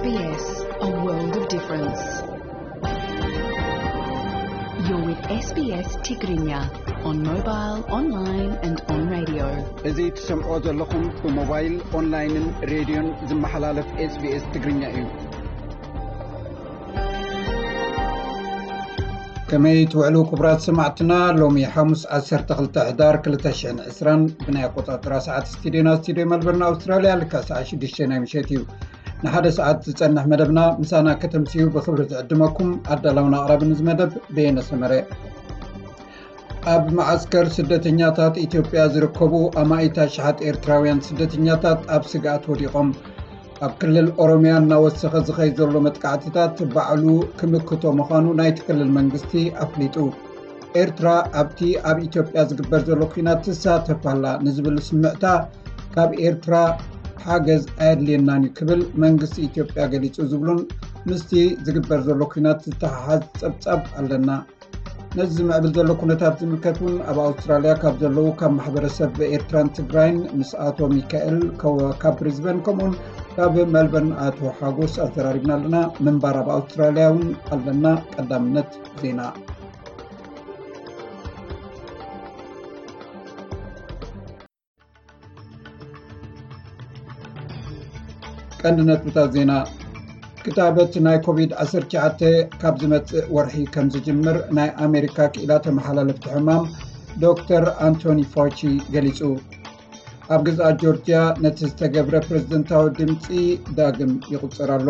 S B S, a world of difference. You're with S B S Tigrinya on mobile, online and on radio. እዚ ትሰምዖ ዘለኹም ብሞባይል፣ ኦንላይንን ሬድዮን ዝመሓላለፍ S B S ትግርኛ እዩ። ከመይ ትውዕሉ ክቡራት ሰማዕትና? ሎሚ ሓሙስ ዓሰርተ ክልተ ሕዳር ክልተ ሽሕን ዕስራን ብናይ ኣቆጻጽራ ሰዓት ስቱድዮና ስቱድዮ መልበርን ኣውስትራልያ ልካ ሰዓት ሽዱሽተ ናይ ምሸት እዩ። ንሓደ ሰዓት ዝጸንሕ መደብና ምሳና ከተምስዩ ብኽብሪ ዝዕድመኩም ኣዳላውን ኣቕራብን እዚ መደብ በየነ ሰመረ። ኣብ መዓስከር ስደተኛታት ኢትዮጵያ ዝርከቡ ኣማኢት ኣሽሓት ኤርትራውያን ስደተኛታት ኣብ ስግኣት ወዲቖም። ኣብ ክልል ኦሮሚያ እናወሰኸ ዝኸይድ ዘሎ መጥቃዕትታት ባዕሉ ክምክቶ ምዃኑ ናይቲ ክልል መንግስቲ ኣፍሊጡ። ኤርትራ ኣብቲ ኣብ ኢትዮጵያ ዝግበር ዘሎ ኲናት ትሳተፍ ኣላ ንዝብል ስምዕታ ካብ ኤርትራ ሓገዝ ኣየድልየናን እዩ ክብል መንግስቲ ኢትዮጵያ ገሊጹ ዝብሉን ምስቲ ዝግበር ዘሎ ኲናት ዝተሓሓዝ ጸብጻብ ኣለና። ነዚ ዝምዕብል ዘሎ ኩነታት ዝምልከት እውን ኣብ ኣውስትራልያ ካብ ዘለዉ ካብ ማሕበረሰብ ኤርትራን ትግራይን ምስ ኣቶ ሚካኤል ከወ-፣ ካብ ብሪዝበን ከምኡውን ካብ መልበርን ኣቶ ሓጎስ ኣዘራሪብና ኣለና። ምንባር ኣብ ኣውስትራልያ እውን ኣለና። ቀዳምነት ዜና። ቀንዲ ነጥብታት ዜና። ክታበት ናይ ኮቪድ ዓሰርተ ትሽዓተ ካብ ዝመጽእ ወርሒ ከም ዝጅምር ናይ ኣሜሪካ ክኢላ ተመሓላለፍቲ ሕማም ዶክተር ኣንቶኒ ፋውቺ ገሊጹ። ኣብ ግዝኣት ጆርጅያ ነቲ ዝተገብረ ፕሬዝደንታዊ ድምጺ ዳግም ይቑጸር ኣሎ።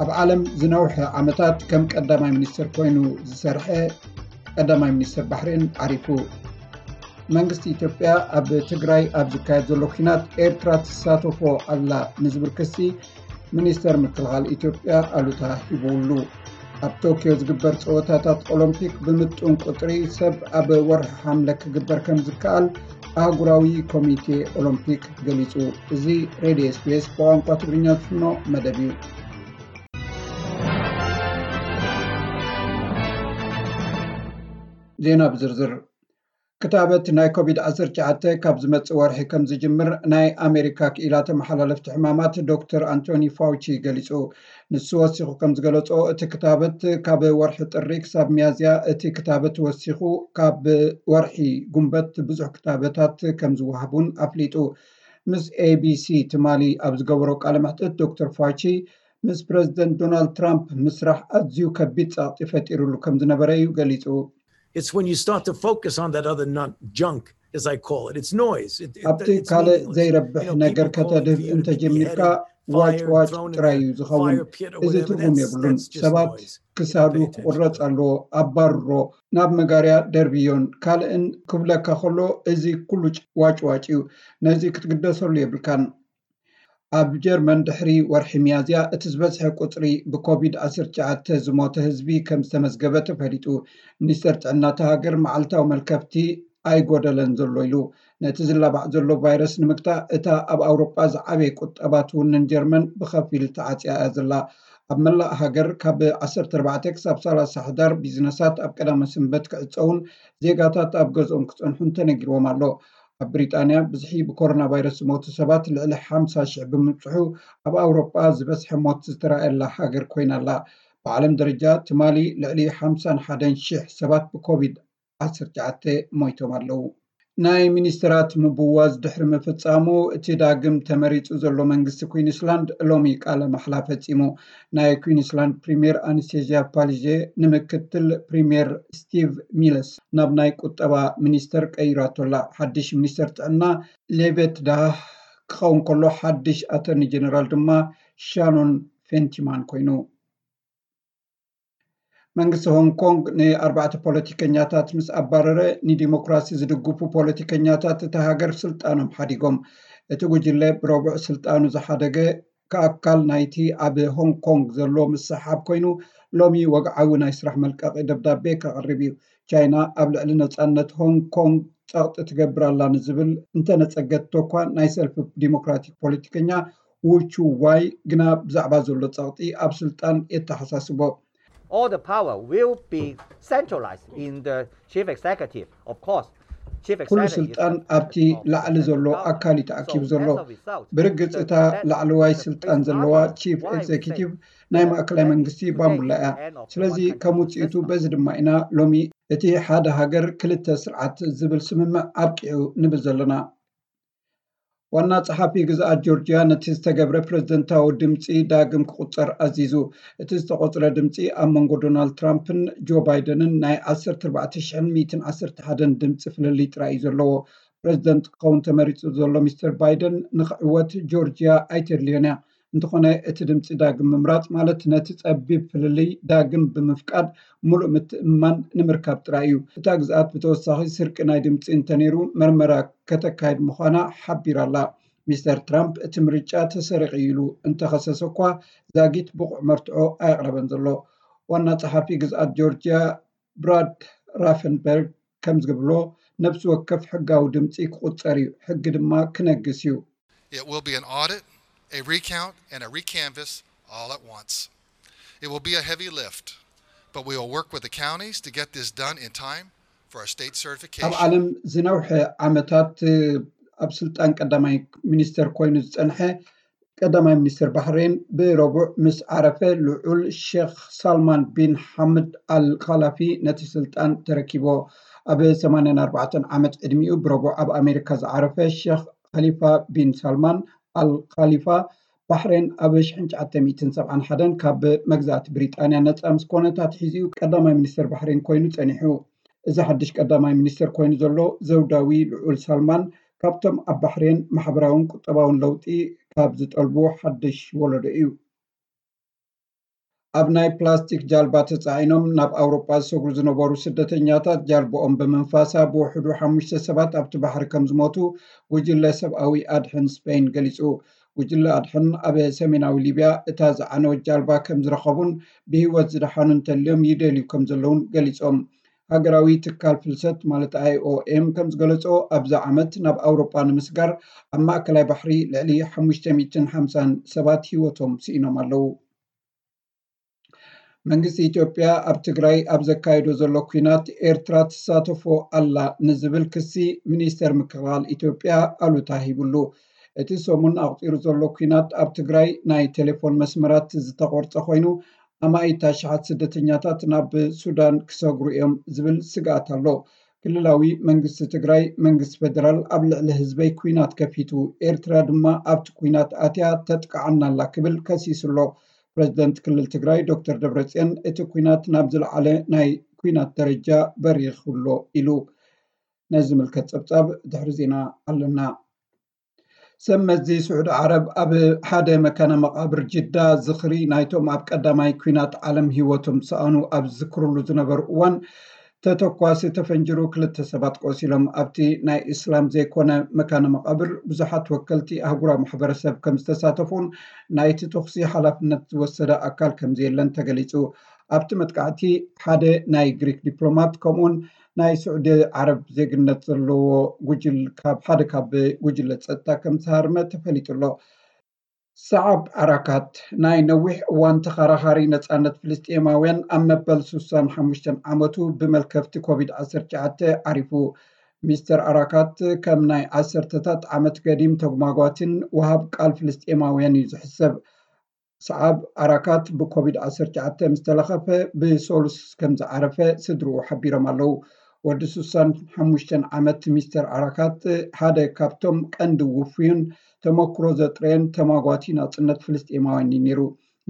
ኣብ ዓለም ዝነውሐ ዓመታት ከም ቀዳማይ ሚኒስትር ኮይኑ ዝሰርሐ ቀዳማይ ሚኒስትር ባሕሬን ዓሪፉ። መንግስቲ ኢትዮጵያ ኣብ ትግራይ ኣብ ዝካየድ ዘሎ ኲናት ኤርትራ ትሳተፎ ኣላ ንዝብል ክሲ ሚኒስተር ምክልኻል ኢትዮጵያ ኣሉታ ሂቡሉ። ኣብ ቶኪዮ ዝግበር ጸወታታት ኦሎምፒክ ብምጡን ቁጽሪ ሰብ ኣብ ወርሒ ሓምለ ክግበር ከም ዝከኣል ኣህጉራዊ ኮሚቴ ኦሎምፒክ ገሊጹ። እዚ ሬድዮ S B S ብቋንቋ ትግርኛ ዝፍኖ መደብ እዩ። ዜና ብዝርዝር። ክታበት ናይ ኮቪድ ዓሰርተ ትሽዓተ ካብ ዝመጽእ ወርሒ ከም ዝጅምር ናይ ኣሜሪካ ክኢላ ተመሓላለፍቲ ሕማማት ዶክተር ኣንቶኒ ፋውቺ ገሊጹ። ንሱ ወሲኹ ከም ዝገለጾ፣ እቲ ክታበት ካብ ወርሒ ጥሪ ክሳብ ሚያዝያ፣ እቲ ክታበት ወሲኹ ካብ ወርሒ ጉንበት ብዙሕ ክታበታት ከም ዝወሃብ እውን ኣፍሊጡ። ምስ A B C ትማሊ ኣብ ዝገበሮ ቃለ መሕትት ዶክተር ፋውቺ ምስ ፕረዚደንት ዶናልድ ትራምፕ ምስራሕ ኣዝዩ ከቢድ ጸቕጢ ፈጢሩሉ ከም ዝነበረ እዩ ገሊጹ። It's when you start to focus on that other non-, junk, as I call it. It's noise. It, it, ኣብቲ ካልእ ዘይረብሕ ነገር ከተድህብ እንተጀሚርካ ዋጭ ዋጭ ጥራይ እዩ ዝኸውን። እዚ ትርጉም የብሉን። ሰባት ክሳዱ ክቑረጽ ኣለዎ፣ ኣባርሮ፣ ናብ መጋርያ ደርብዮን ካልእን ክብለካ ከሎ፣ እዚ ኩሉ ዋጭ ዋጭ እዩ። ነዚ ክትግደሰሉ የብልካን። ኣብ ጀርመን ድሕሪ ወርሒ ሚያዝያ እቲ ዝበዝሐ ቁጽሪ ብኮቪድ ዓሰርተ ትሽዓተ ዝሞተ ህዝቢ ከም ዝተመዝገበ ተፈሊጡ። ሚኒስተር ጥዕና እታ ሃገር መዓልታዊ መልከፍቲ ኣይጎደለን ዘሎ ኢሉ። ነቲ ዝላባዕ ዘሎ ቫይረስ ንምግታእ እታ ኣብ ኣውሮጳ ዝዓበየ ቁጠባ ትውንን ጀርመን ብኸፊል ተዓጽያ እያ ዘላ። ኣብ መላእ ሃገር ካብ ዓሰርተ ኣርባዕተ ክሳብ ሰላሳ ሕዳር ቢዝነሳት ኣብ ቀዳመ ሰንበት ክዕጸውን ዜጋታት ኣብ ገዝኦም ክጸንሑን ተነጊርዎም ኣሎ። ኣብ ብሪጣንያ ብዝሒ ብኮሮና ቫይረስ ዝሞቱ ሰባት ልዕሊ ሓምሳ ሽሕ ብምብጽሑ ኣብ ኣውሮጳ ዝበዝሐ ሞት ዝተራእየላ ሃገር ኮይና ኣላ። ብዓለም ደረጃ ትማሊ ልዕሊ ሓምሳን ሓደን ሽሕ ሰባት ብኮቪድ ዓሰርተ ትሽዓተ ሞይቶም ኣለዉ። ናይ ሚኒስትራት ምብዋዝ ድሕሪ ምፍጻሙ፣ እቲ ዳግም ተመሪጹ ዘሎ መንግስቲ ኩዊንስላንድ ሎሚ ቃለ ማሕላ ፈጺሙ። ናይ ኩዊንስላንድ ፕሪምየር ኣነስቴዝያ ፓሊዜ ንምክትል ፕሪምየር ስቲቭ ሚለስ ናብ ናይ ቁጠባ ሚኒስተር ቀይራቶ ኣላ። ሓድሽ ሚኒስተር ጥዕና ሌቬት ዳህ ክኸውን ከሎ፣ ሓድሽ ኣተርኒ ጀነራል ድማ ሻኖን ፌንቲማን ኮይኑ። መንግስቲ ሆንግ ኮንግ ንኣርባዕተ ፖለቲከኛታት ምስ ኣባረረ፣ ንዲሞክራሲ ዝድግፉ ፖለቲከኛታት እታ ሃገር ስልጣኖም ሓዲጎም። እቲ ጉጅለ ብረቡዕ ስልጣኑ ዝሓደገ ከኣካል ናይቲ ኣብ ሆንግ ኮንግ ዘሎ ምስሕሓብ ኮይኑ፣ ሎሚ ወግዓዊ ናይ ስራሕ መልቀቒ ደብዳቤ ከቕርብ እዩ። ቻይና ኣብ ልዕሊ ነጻነት ሆንግ ኮንግ ጸቕጢ ትገብር ኣላ ንዝብል እንተነጸገቶ እኳ፣ ናይ ሰልፊ ዲሞክራቲክ ፖለቲከኛ ዉ ቹ ዋይ ግና ብዛዕባ ዘሎ ጸቕጢ ኣብ ስልጣን የተሓሳስቦ። All the power will be centralized in the chief executive, of course. ኩሉ ስልጣን ኣብቲ ላዕሊ ዘሎ ኣካል እዩ ተኣኪቡ ዘሎ። ብርግጽ እታ ላዕለዋይ ስልጣን ዘለዋ ቺፍ ኤግዜኪቲቭ ናይ ማእከላይ መንግስቲ ባምቡላ እያ። ስለዚ ከም ውፅኢቱ በዚ ድማ ኢና ሎሚ እቲ ሓደ ሃገር ክልተ ስርዓት ዝብል ስምምዕ ኣብቂዑ ንብል ዘለና። ዋና ጸሓፊ ግዝኣት ጆርጅያ ነቲ ዝተገብረ ፕረዚደንታዊ ድምጺ ዳግም ክቑጸር ኣዚዙ። እቲ ዝተቖጽረ ድምጺ ኣብ መንጎ ዶናልድ ትራምፕን ጆ ባይደንን ናይ ዓሰርተ ኣርባዕተ ሽሕን ሚእትን ዓሰርተ ሓደን ድምጺ ፍልልይ ጥራይ እዩ ዘለዎ። ፕረዚደንት ክኸውን ተመሪጹ ዘሎ ሚስተር ባይደን ንኽዕወት ጆርጅያ ኣይተድልዮን እያ። እንተኾነ እቲ ድምጺ ዳግም ምምራጽ ማለት ነቲ ጸቢብ ፍልልይ ዳግም ብምፍቃድ ሙሉእ ምትእምማን ንምርካብ ጥራይ እዩ። እታ ግዝኣት ብተወሳኺ ስርቂ ናይ ድምጺ እንተነይሩ መርመራ ከተካይድ ምዃና ሓቢራ ኣላ። ሚስተር ትራምፕ እቲ ምርጫ ተሰሪቑ ኢሉ እንተኸሰሰ እኳ ዛጊት ብቑዕ መርትዖ ኣየቕረበን ዘሎ። ዋና ጸሓፊ ግዝኣት ጆርጅያ ብራድ ራፈንበርግ ከም ዝብሎ ነብሲ ወከፍ ሕጋዊ ድምጺ ክቑጸር እዩ፣ ሕጊ ድማ ክነግስ እዩ። It will be an audit, a recount, and a recanvass all at once. It will be a heavy lift, but we will work with the counties to get this done in time for our state ኣብ certification. ዓለም ዝነውሐ ዓመታት ኣብ ስልጣን ቀዳማይ ሚኒስተር ኮይኑ ዝጸንሐ ቀዳማይ ሚኒስተር ባህሬን ብረቡዕ ምስ ዓረፈ ልዑል ሼክ ሳልማን ቢን ሓምድ ኣል ኻላፊ ነቲ ስልጣን ተረኪቦ። ኣብ ሰማንያን ኣርባዕተን ዓመት ዕድሚኡ ብረቡዕ ኣብ ኣሜሪካ ዝዓረፈ ሼክ ኻሊፋ ቢን ሳልማን ኣል ኻሊፋ ባሕሬን ኣብ ሽሕን ትሽዓተ ሚእትን ሰብዓን ሓደን ካብ መግዛእቲ ብሪጣንያ ነጻ ምስ ኮነት ኣትሒዙ ቀዳማይ ሚኒስተር ባሕሬን ኮይኑ ጸኒሑ። እዚ ሓድሽ ቀዳማይ ሚኒስተር ኮይኑ ዘሎ ዘውዳዊ ልዑል ሳልማን ካብቶም ኣብ ባሕሬን ማሕበራውን ቁጠባውን ለውጢ ካብ ዝጠልቡ ሓድሽ ወለዶ እዩ። ኣብ ናይ ፕላስቲክ ጃልባ ተጻዒኖም ናብ ኣውሮጳ ዝሰግሩ ዝነበሩ ስደተኛታት ጃልባኦም ብምንፋሳ ብውሕዱ ሓሙሽተ ሰባት ኣብቲ ባሕሪ ከም ዝሞቱ ጉጅለ ሰብኣዊ ኣድሕን ስፔን ገሊጹ። ጉጅለ ኣድሕን ኣብ ሰሜናዊ ሊብያ እታ ዝዓነወት ጃልባ ከም ዝረኸቡን ብህይወት ዝደሓኑ እንተልዮም ይደልዩ ከም ዘለውን ገሊጾም። ሃገራዊ ትካል ፍልሰት ማለት ኣይኦኤም ከም ዝገለጾ ኣብዚ ዓመት ናብ ኣውሮጳ ንምስጋር ኣብ ማእከላይ ባሕሪ ልዕሊ ሓሙሽተ ሚእትን ሓምሳን ሰባት ህይወቶም ስኢኖም ኣለዉ። መንግስቲ ኢትዮጵያ ኣብ ትግራይ ኣብ ዘካየዶ ዘሎ ኲናት ኤርትራ ትሳተፎ ኣላ ንዝብል ክሲ ሚኒስተር ምክልኻል ኢትዮጵያ ኣሉታ ሂብሉ። እቲ ሰሙን ኣቑጺሩ ዘሎ ኲናት ኣብ ትግራይ ናይ ቴሌፎን መስመራት ዝተቖርጸ ኮይኑ ኣማኢት ኣሽሓት ስደተኛታት ናብ ሱዳን ክሰግሩ እዮም ዝብል ስግኣት ኣሎ። ክልላዊ መንግስቲ ትግራይ መንግስቲ ፌደራል ኣብ ልዕሊ ህዝበይ ኲናት ከፊቱ፣ ኤርትራ ድማ ኣብቲ ኲናት ኣትያ ተጥቅዓና ኣላ ክብል ከሲሱ ኣሎ። ፕረዚደንት ክልል ትግራይ ዶክተር ደብረፅዮን እቲ ኲናት ናብ ዝለዓለ ናይ ኲናት ደረጃ በሪኹ ኣሎ ኢሉ። ነዚ ዝምልከት ፀብፃብ ድሕሪ ዜና ኣለና። ሰብ መዚ ስዑዲ ዓረብ ኣብ ሓደ መካነ መቓብር ጅዳ ዝኽሪ ናይቶም ኣብ ቀዳማይ ኲናት ዓለም ህይወቶም ዝሰኣኑ ኣብ ዝዝክርሉ ዝነበሩ እዋን ተተኳሲ ተፈንጅሩ ክልተ ሰባት ቆሲሎም። ኣብቲ ናይ እስላም ዘይኮነ መካነ መቓብር ብዙሓት ወከልቲ ኣህጉራዊ ማሕበረሰብ ከም ዝተሳተፉን ናይቲ ተኹሲ ሓላፍነት ዝወሰደ ኣካል ከም ዘየለን ተገሊጹ። ኣብቲ መጥቃዕቲ ሓደ ናይ ግሪክ ዲፕሎማት ከምኡውን ናይ ስዑዲ ዓረብ ዜግነት ዘለዎ ጉጅል ካብ ሓደ ካብ ጉጅለ ጸጥታ ከም ዝተሃርመ ተፈሊጡ ኣሎ። ሰዓብ ኣራካት ናይ ነዊሕ እዋን ተኸራኻሪ ነጻነት ፍልስጤማውያን ኣብ መበል ስሳን ሓሙሽተን ዓመቱ ብመልከፍቲ ኮቪድ ዓሰርተ ትሽዓተ ዓሪፉ። ሚስተር ኣራካት ከም ናይ ዓሰርተታት ዓመት ገዲም ተጉማጓትን ወሃብ ቃል ፍልስጤማውያን እዩ ዝሕሰብ። ሰዓብ ኣራካት ብኮቪድ ዓሰርተ ትሽዓተ ምስ ተለኸፈ ብሰሉስ ከም ዝዓረፈ ስድርኡ ሓቢሮም ኣለዉ። ወዲ ስሳን ሓሙሽተን ዓመት ሚስተር ኣራካት ሓደ ካብቶም ቀንዲ ውፉይን ተመክሮ ዘጥረየን ተማጓቲ ናጽነት ፍልስጤማውያን እዩ ነይሩ።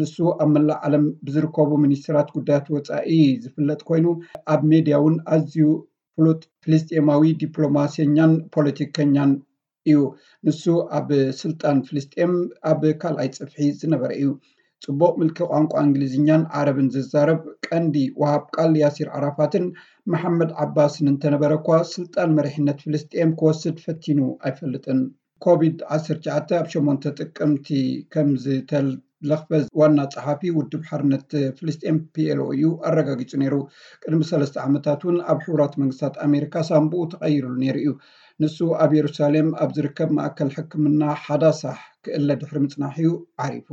ንሱ ኣብ መላእ ዓለም ብዝርከቡ ሚኒስትራት ጉዳያት ወጻኢ ዝፍለጥ ኮይኑ ኣብ ሜድያ እውን ኣዝዩ ፍሉጥ ፍልስጤማዊ ዲፕሎማሰኛን ፖለቲከኛን እዩ። ንሱ ኣብ ስልጣን ፍልስጤም ኣብ ካልኣይ ጽፍሒ ዝነበረ እዩ። ጽቡቕ ምልኪ ቋንቋ እንግሊዝኛን ዓረብን ዝዛረብ ቀንዲ ወሃብ ቃል ያሲር ዓራፋትን መሓመድ ዓባስን እንተነበረ እኳ ስልጣን መሪሕነት ፍልስጤም ክወስድ ፈቲኑ ኣይፈልጥን። ኮቪድ ዓሰርተ ትሽዓተ ኣብ ሸሞንተ ጥቅምቲ ከም ዝተለኽፈ ዋና ጸሓፊ ውድብ ሓርነት ፍልስጤም ፒኤልኦ እዩ ኣረጋጊጹ ነይሩ። ቅድሚ ሰለስተ ዓመታት እውን ኣብ ሕቡራት መንግስታት ኣሜሪካ ሳንቡኡ ተቐይሩሉ ነይሩ እዩ። ንሱ ኣብ የሩሳሌም ኣብ ዝርከብ ማእከል ሕክምና ሓዳሳሕ ክእለ ድሕሪ ምጽናሕ እዩ ዓሪፉ።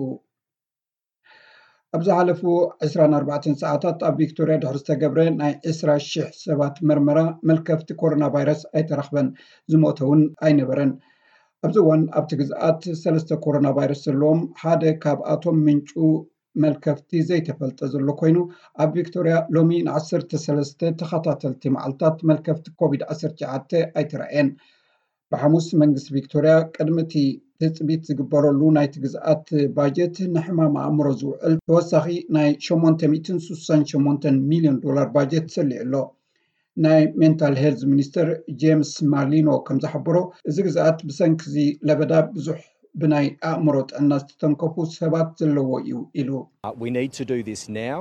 ኣብ ዝሓለፉ ዕስራን ኣርባዕተን ሰዓታት ኣብ ቪክቶርያ ድሕሪ ዝተገብረ ናይ ዕስራ ሽሕ ሰባት መርመራ መልከፍቲ ኮሮና ቫይረስ ኣይተረኽበን። ዝሞተ እውን ኣይነበረን። ኣብዚ እዋን ኣብቲ ግዝኣት ሰለስተ ኮሮና ቫይረስ ዘለዎም ሓደ ካብኣቶም ምንጩ መልከፍቲ ዘይተፈልጠ ዘሎ ኮይኑ፣ ኣብ ቪክቶርያ ሎሚ ንዓሰርተ ሰለስተ ተኸታተልቲ መዓልታት መልከፍቲ ኮቪድ ዓሰርተ ትሽዓተ ኣይተራእየን። ብሓሙስ መንግስቲ ቪክቶርያ ቅድሚ እቲ ትፅቢት ዝግበረሉ ናይቲ ግዝኣት ባጀት ንሕማም ኣእምሮ ዝውዕል ተወሳኺ ናይ ሸሞንተ ሚእትን ስሳን ሸሞንተን ሚልዮን ዶላር ባጀት ሰሊዑ ኣሎ። ናይ ሜንታል ሄልዝ ሚኒስተር ጄምስ ማርሊኖ ከም ዝሓበሮ፣ እዚ ግዝኣት ብሰንኪ እዚ ለበዳ ብዙሕ ብናይ ኣእምሮ ጥዕና ዝተተንከፉ ሰባት ዘለዎ እዩ ኢሉ። Uh, we need to do this now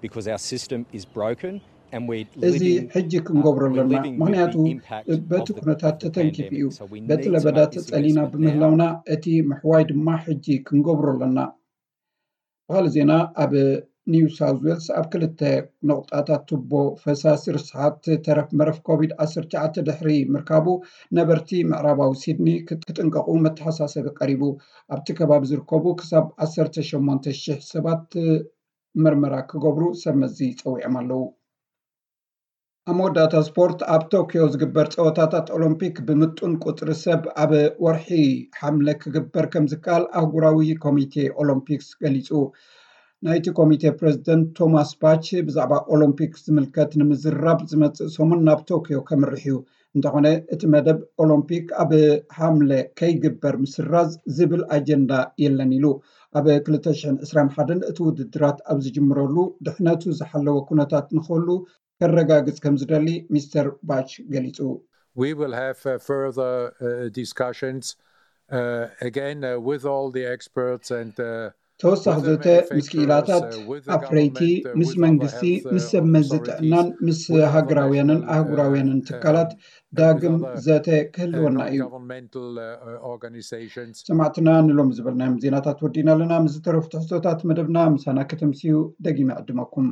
because our system is broken and we're እዚ living ሕጂ ክንገብሮ we're ኣለና፣ living with ምክንያቱ the impact በቲ of the, ኩነታት of the ተተንኪፉ pandemic. እዩ። So we በቲ need to ለበዳ make this ተጸሊና investment now. ብምህላውና እቲ ምሕዋይ ድማ ሕጂ ክንገብሮ ኣለና። ብኻልእ ዜና፣ ኣብ ኒው ሳውዝ ዌልስ ኣብ ክልተ ነቑጣታት ቱቦ ፈሳሲ ርስሓት ተረፍ መረፍ ኮቪድ ዓሰርተ ትሽዓተ ድሕሪ ምርካቡ፣ ነበርቲ ምዕራባዊ ሲድኒ ክጥ- ክጥንቀቑ መተሓሳሰቢ ቀሪቡ። ኣብቲ ከባቢ ዝርከቡ ክሳብ ዓሰርተ ሸሞንተ ሽሕ ሰባት መርመራ ክገብሩ ሰብ መዚ ጸዊዖም ኣለዉ። ኣብ መወዳእታ ስፖርት፣ ኣብ ቶኪዮ ዝግበር ጸወታታት ኦሎምፒክ ብምጡን ቁጽሪ ሰብ ኣብ ወርሒ ሓምለ ክግበር ከም ዝከኣል ኣህጉራዊ ኮሚቴ ኦሎምፒክስ ገሊጹ። ናይቲ ኮሚቴ ፕሬዝደንት ቶማስ ባች ብዛዕባ ኦሎምፒክ ዝምልከት ንምዝራብ ዝመጽእ ሰሙን ናብ ቶኪዮ ከምርሕ እዩ። እንተኾነ እቲ መደብ ኦሎምፒክ ኣብ ሓምለ ከይግበር ምስራዝ ዝብል ኣጀንዳ የለን ኢሉ። ኣብ ክልተ ሽሕን ዕስራን ሓደን እቲ ውድድራት ኣብ ዝጅምረሉ ድሕነቱ ዝሓለወ ኩነታት ንክህሉ ከረጋግጽ ከም ዝደሊ ሚስተር ባች ገሊጹ። We will have uh, further uh, discussions uh, again uh, with all the experts and uh, ተወሳኺ with the ዘተ ምስ ክኢላታት፣ uh, with the ኣፍረይቲ፣ government, uh, ምስ with other መንግስቲ፣ health, uh, ምስ ሰብ መዚ authorities, ጥዕናን ምስ with other ሃገራውያንን national, uh, ኣህጉራውያንን uh, ትካላት uh, ዳግም with other, ዘተ uh, ክህልወና እዩ። non-governmental uh, uh, organizations. ሰማዕትና፣ ንሎም ዝበልናዮም ዜናታት ወዲና ኣለና። ምስ ዝተረፉ ትሕዝቶታት መደብና ምሳና ከተምስዩ ደጊመ ዕድመኩም።